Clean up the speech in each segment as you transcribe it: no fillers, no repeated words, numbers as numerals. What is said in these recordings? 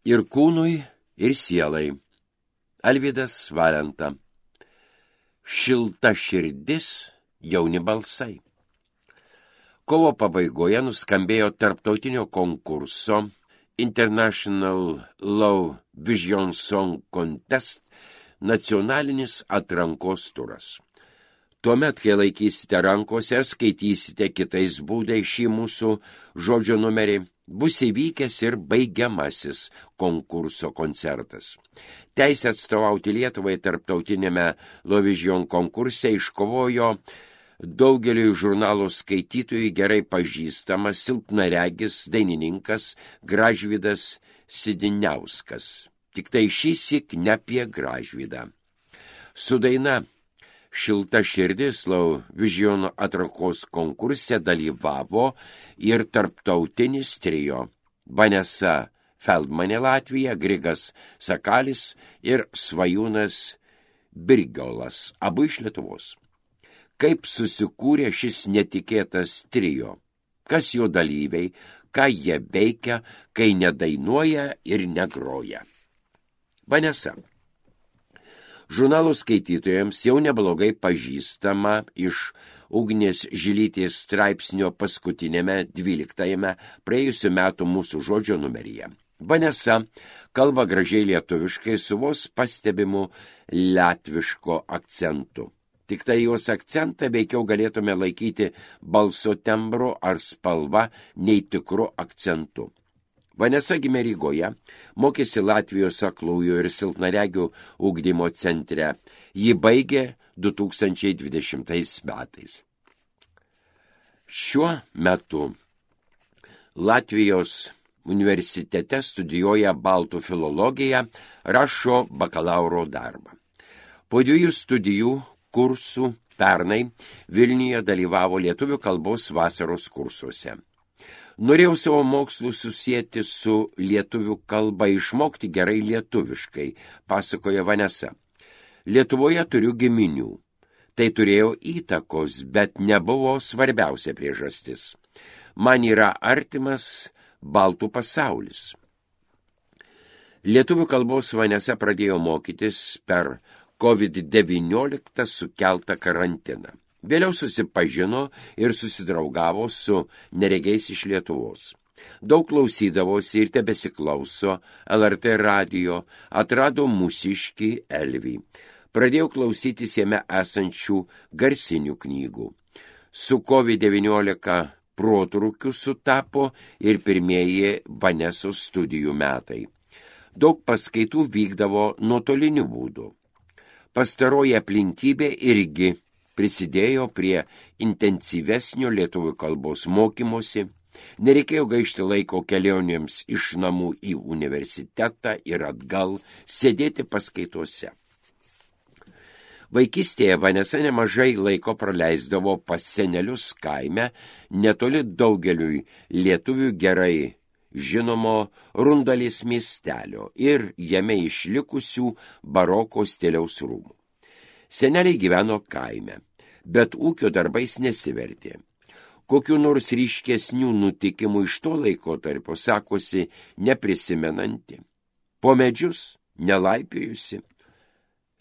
Ir kūnui, ir sielai. Alvydas Valenta. Šilta širdis, jauni balsai. Kovo pabaigoje nuskambėjo tarptautinio konkurso International Low Vision Song Contest nacionalinis atrankos turas. Tuomet, kai laikysite rankose ir skaitysite kitais būdais šį mūsų žodžio numerį, bus įvykęs ir baigiamasis konkurso koncertas. Teisę atstovauti Lietuvai tarptautinėme Lovižion konkurse iškovojo daugeliui žurnalo skaitytojų gerai pažįstamas silpnaregis dainininkas Gražvydas Sidiniauskas. Tik tai šįsyk ne apie Gražvydą. Su daina Šilta širdis Lovižion atrankos konkurse dalyvavo ir tarptautinis trio Vanesa Feldmanė Latvija, Grigas Sakalis ir Svajūnas Birgiolas, abu iš Lietuvos. Kaip susikūrė šis netikėtas trio? Kas jo dalyviai, ką jie veikia, kai nedainuoja ir negroja? Vanesa. Žurnalo skaitytojams jau neblogai pažįstama iš Ugnės Žilytės straipsnio paskutinėme 12 praėjusių metų mūsų žodžio numeryje. Vanesa kalba gražiai lietuviškai su vos pastebimu latviško akcentu. Tik tai jos akcentą veikiau galėtume laikyti balso tembro ar spalva nei tikru akcentu. Vanesa gimė Rygoje, mokėsi Latvijos aklųjų ir silpnaregių ugdymo centre. Ji baigė 2020 metais. Šiuo metu Latvijos universitete studijuoja baltų filologiją, rašo bakalauro darbą. Po 2 studijų kursų pernai Vilniuje dalyvavo lietuvių kalbos vasaros kursuose. Norėjau savo mokslus susijęti su lietuvių kalba, išmokti gerai lietuviškai, pasakoja Vanesa. Lietuvoje turiu giminių. Tai turėjo įtakos, bet nebuvo svarbiausia priežastis. Man yra artimas baltų pasaulis. Lietuvių kalbos Vanesa pradėjo mokytis per COVID-19 sukeltą karantiną. Vėliau susipažino ir susidraugavo su neregiais iš Lietuvos. Daug klausydavosi ir tebesiklauso LRT radijo, atrado mūsiškį Elvį. Pradėjo klausytis jame esančių garsinių knygų. Su COVID-19 protrūkiu sutapo ir pirmieji Vanesos studijų metai. Daug paskaitų vykdavo nuotoliniu būdu. Pastaroji aplinkybė irgi prisidėjo prie intensyvesnio lietuvių kalbos mokymosi, nereikėjo gaišti laiko kelionėms iš namų į universitetą ir atgal sėdėti paskaitose. Vaikystėje Vanesa nemažai laiko praleisdavo pas senelius kaime, netoli daugeliui lietuvių gerai žinomo Rundalės miestelio ir jame išlikusių baroko stiliaus rūmų. Seneliai gyveno kaime, bet ūkio darbais nesivertė. Kokiu nors ryškesnių nutikimų iš to laikotarpio sakosi neprisimenanti. Po medžius nelaipiojusi.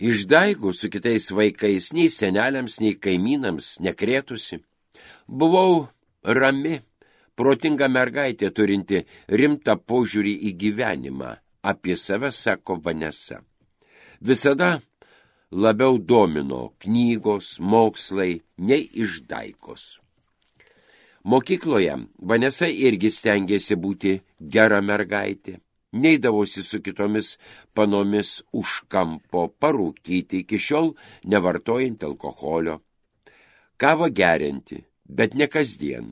Išdaigų su kitais vaikais nei seneliams, nei kaimynams nekrėtusi. Buvau rami, protinga mergaitė turinti rimtą požiūrį į gyvenimą. Apie save sako Vanesa. Visada labiau domino knygos, mokslai, nei išdaikos. Mokykloje Vanesa irgi stengėsi būti gera mergaitė. Neidavosi su kitomis panomis už kampo, parūkyti, iki šiol nevartojant alkoholio. Kavą gerinti, bet ne kasdien.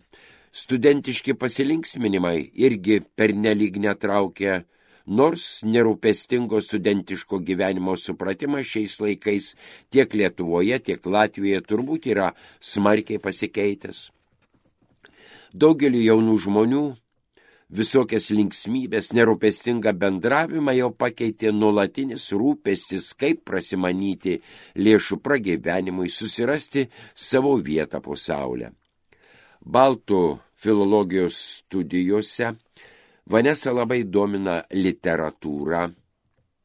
Studentiški pasilinksminimai irgi pernelyg netraukė, nors nerūpestingo studentiško gyvenimo supratimas šiais laikais tiek Lietuvoje, tiek Latvijoje turbūt yra smarkiai pasikeitęs. Daugeliu jaunų žmonių visokias linksmybės, nerūpestingą bendravimą jau pakeitė nuolatinis rūpestis, kaip prasimanyti lėšų pragyvenimui, susirasti savo vietą po saulę. Baltų filologijos studijose Vanesą labai domina literatūra,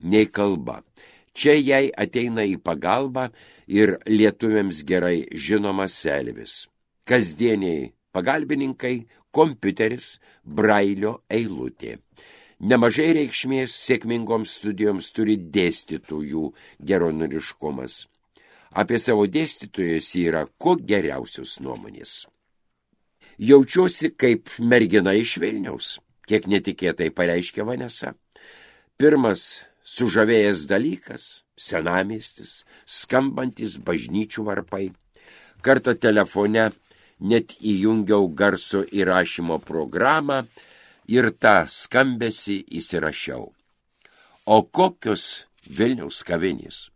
nei kalba. Čia jai ateina į pagalbą ir lietuviams gerai žinomas Elvis. Kasdieniai pagalbininkai, kompiuteris, Brailio eilutė. Nemažai reikšmės sėkmingoms studijoms turi dėstytojų geronoriškumas. Apie savo dėstytojus yra kuo geriausios nuomonės. Jaučiuosi kaip mergina iš Vilniaus, kiek netikėtai pareiškė Vanesa. Pirmas sužavėjęs dalykas – senamiestis, skambantis bažnyčių varpai. Kartą telefone net įjungiau garso įrašymo programą ir tą skambesį įsirašiau. O kokios Vilniaus kavinės?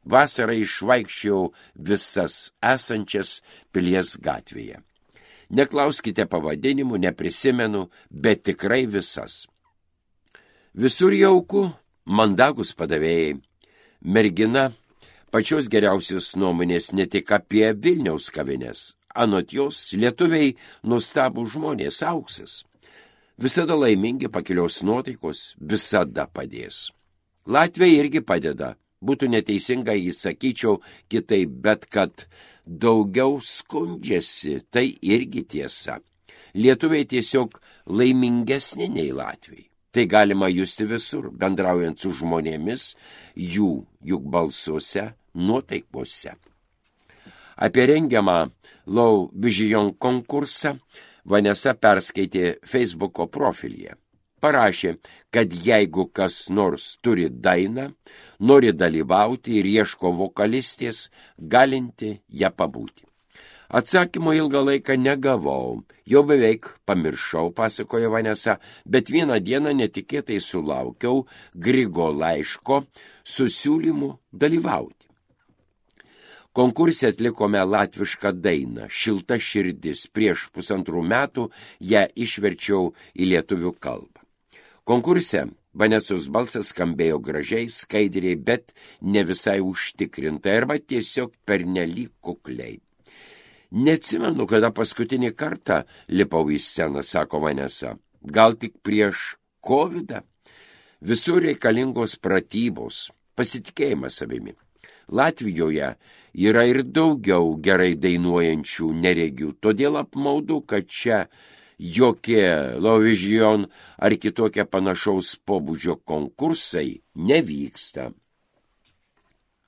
Vasarą išvaikščiau visas esančias Pilies gatvėje. Neklauskite pavadinimų, neprisimenu, bet tikrai visas. Visur jauku, mandagus padavėjai. Mergina pačios geriausios nuomonės ne tik apie Vilniaus kavines. Anot jos, lietuviai nuostabūs žmonės, auksas. Visada laimingi, pakilios nuotaikos, visada padės. Latviai irgi padeda. Būtų neteisinga, sakyčiau kitaip, bet kad daugiau skundžiasi, tai irgi tiesa. Lietuviai tiesiog laimingesni nei latviai. Tai galima justi visur, bendraujant su žmonėmis, juk balsuose, nuotaikose. Apie rengiamą Low Vision konkursą Vanesa perskaitė Facebooko profilyje. Parašė, kad jeigu kas nors turi dainą, nori dalyvauti ir ieško vokalistės, galinti ją pabūti. Atsakymo ilgą laiką negavau, jau beveik pamiršau, pasakoja Vanesa, bet vieną dieną netikėtai sulaukiau Grigo laiško su siūlymu dalyvauti. Konkurse atlikome latvišką dainą Šilta širdis. Prieš 1,5 metų ją išverčiau į lietuvių kalbą. Konkurse Vanesos balsas skambėjo gražiai, skaidriai, bet ne visai užtikrintai arba tiesiog pernelyg kukliai. Neatsimenu, kada paskutinį kartą lipau į sceną, sako Vanesa. Gal tik prieš COVID-ą? Visur reikalingos pratybos, pasitikėjimas savimi. Latvijoje yra ir daugiau gerai dainuojančių neregių, todėl apmaudu, kad čia jokie Low Vision ar kitokie panašaus pobūdžio konkursai nevyksta.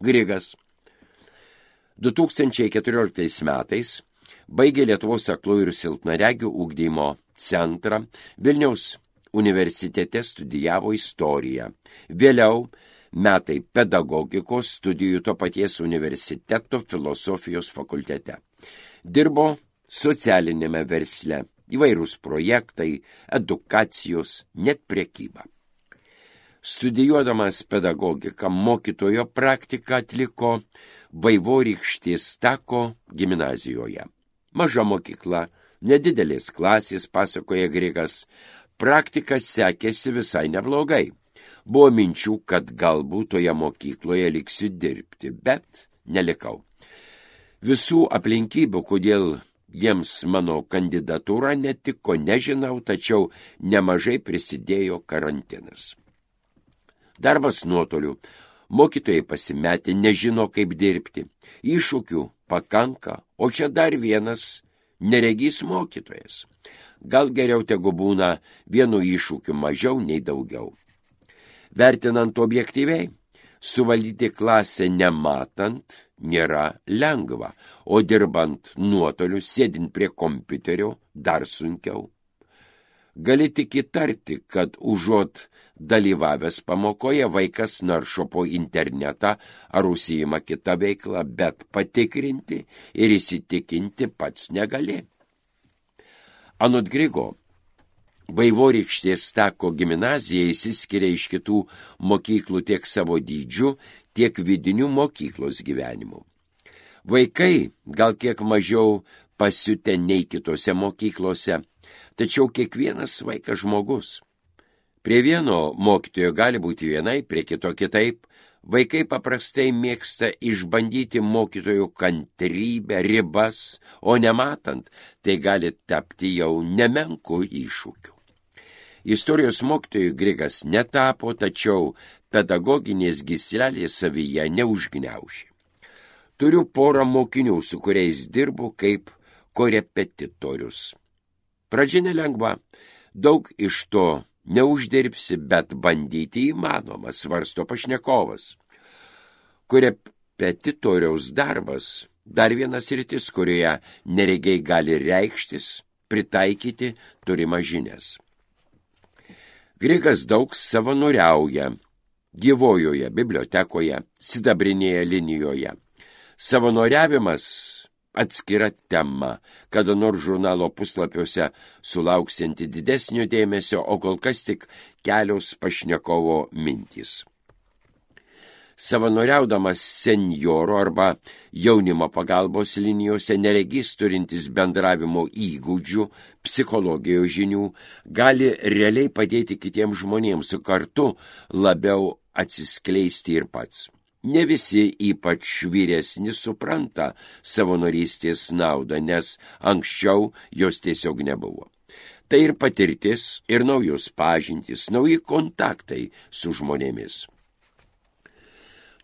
Grigas 2014 metais baigė Lietuvos aklųjų ir silpnaregių ugdymo centrą, Vilniaus universitete studijavo istoriją. Vėliau metai pedagogikos studijų to paties universiteto filosofijos fakultete. Dirbo socialinėme versle. Įvairūs projektai, edukacijos, net prekyba. Studijuodamas pedagogiką, mokytojo praktiką atliko Vaivorykštės Tako gimnazijoje. Maža mokykla, nedidelės klasės, pasakoja Grigas. Praktika sekėsi visai neblogai. Buvo minčių, kad galbūt toje mokykloje liksiu dirbti, bet nelikau. Visų aplinkybių, kodėl jiems mano kandidatūra netiko, nežinau, tačiau nemažai prisidėjo karantinas. Darbas nuotoliu, mokytojai pasimetė, nežino kaip dirbti, iššūkių pakanka, o čia dar vienas neregys mokytojas. Gal geriau tegu būna vienu iššūkiu mažiau nei daugiau. Vertinant objektyviai, suvaldyti klasę nematant nėra lengva, o dirbant nuotoliu, sėdint prie kompiuterio, dar sunkiau. Gali tik įtarti, kad užuot dalyvavęs pamokoje vaikas naršo po internetą ar užsiima kitą veiklą, bet patikrinti ir įsitikinti pats negali. Anot Grigo, Vaivorykštės Tako gimnazija išsiskiria iš kitų mokyklų tiek savo dydžiu, tiek vidiniu mokyklos gyvenimu. Vaikai gal kiek mažiau pasiutę nei kitose mokyklose, tačiau kiekvienas vaikas žmogus. Prie vieno mokytojo gali būti vienai, prie kito kitaip. Vaikai paprastai mėgsta išbandyti mokytojų kantrybę, ribas, o nematant, tai gali tapti jau nemenku iššūkiu. Istorijos mokytojų Grigas netapo, tačiau pedagoginės gyslelės savyje neužgniaužė. Turiu porą mokinių, su kuriais dirbu kaip korepetitorius. Pradžia nelengva, daug iš to neuždirbsi, bet bandyti įmanoma, svarsto pašnekovas. Korepetitoriaus darbas dar vienas sritis, kurioje neregiai gali reikštis, pritaikyti turimas žinias. Grigas daug savanoriauja gyvojoje bibliotekoje, sidabrinėje linijoje. Savanoriavimas atskira tema, kada nors žurnalo puslapiuose sulauksianti didesnio dėmesio, o kol kas tik kelios pašnekovo mintys. Savanoriaudamas senjoro arba jaunimo pagalbos linijose neregys turintis bendravimo įgūdžių, psichologijos žinių, gali realiai padėti kitiems žmonėms, kartu labiau atsiskleisti ir pats. Ne visi, ypač vyresni, supranta savanorystės naudą, nes anksčiau jos tiesiog nebuvo. Tai ir patirtis, ir naujos pažintys, nauji kontaktai su žmonėmis.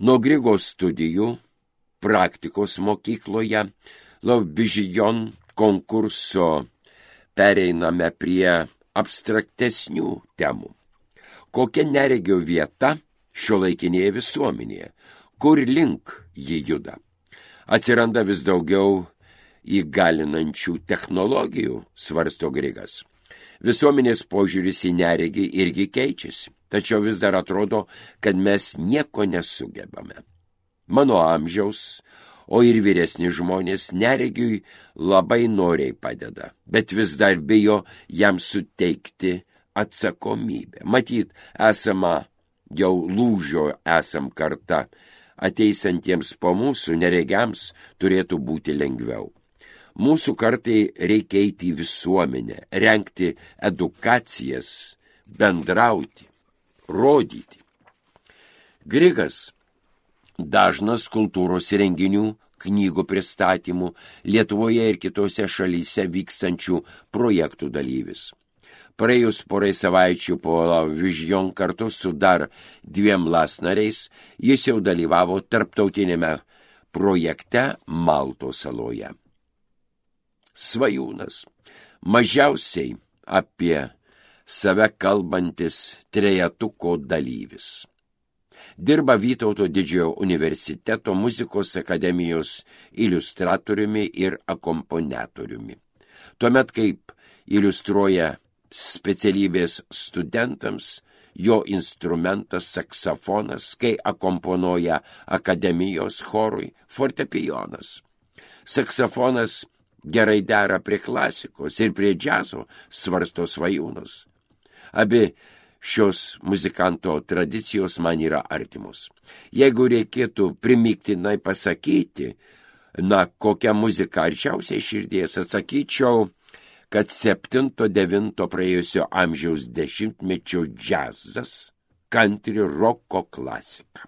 Nuo Grigos studijų, praktikos mokykloje, Lauvižijon konkurso pereiname prie abstraktesnių temų. Kokia neregio vieta šiuolaikinėje visuomenėje, kur link ji juda. Atsiranda vis daugiau įgalinančių technologijų, svarsto Grigas. Visuomenės požiūris į neregį irgi keičiasi, tačiau vis dar atrodo, kad mes nieko nesugebame. Mano amžiaus, o ir vyresni žmonės neregiui labai noriai padeda, bet vis dar bijo jam suteikti atsakomybę. Matyt, jau lūžio esam karta, ateisantiems po mūsų neregiams turėtų būti lengviau. Mūsų kartai reikia eiti į visuomenę, rengti edukacijas, bendrauti, rodyti. Grigas dažnas kultūros renginių, knygų pristatymų, Lietuvoje ir kitose šalyse vykstančių projektų dalyvis. Praėjus porai savaičių po Lauvižijon kartu su dar 2 lasnariais, jis jau dalyvavo tarptautinėme projekte Maltos saloje. Svajūnas, mažiausiai apie save kalbantis trejetuko dalyvis. Dirba Vytauto didžiojo universiteto muzikos akademijos iliustratoriumi ir akomponiatoriumi. Tuomet, kaip iliustruoja specialybės studentams, jo instrumentas saksofonas, kai akomponuoja akademijos chorui fortepijonas. Saksofonas gerai dera prie klasikos ir prie džiazo, svarsto Svajūnas. Abi šios muzikanto tradicijos man yra artimos. Jeigu reikėtų primygtinai pasakyti, kokia muzika arčiausiai širdies, atsakyčiau, kad 7-9 praėjusio amžiaus dešimtmečio džiazas, country roko klasika.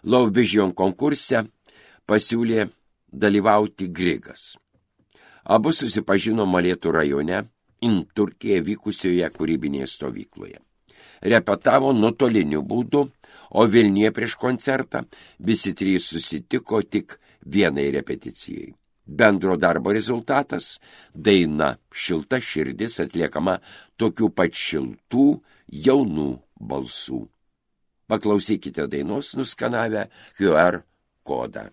Lauvižijon konkurse pasiūlė dalyvauti Grigas. Abu susipažino Molėtų rajone, Turkijoje vykusioje kūrybinėje stovykloje. Repetavo nuotoliniu būdu, o Vilniuje prieš koncertą visi 3 susitiko tik vienai repeticijai. Bendro darbo rezultatas – daina Šilta širdis atliekama tokių pat šiltų, jaunų balsų. Paklausykite dainos nuskanavę QR kodą.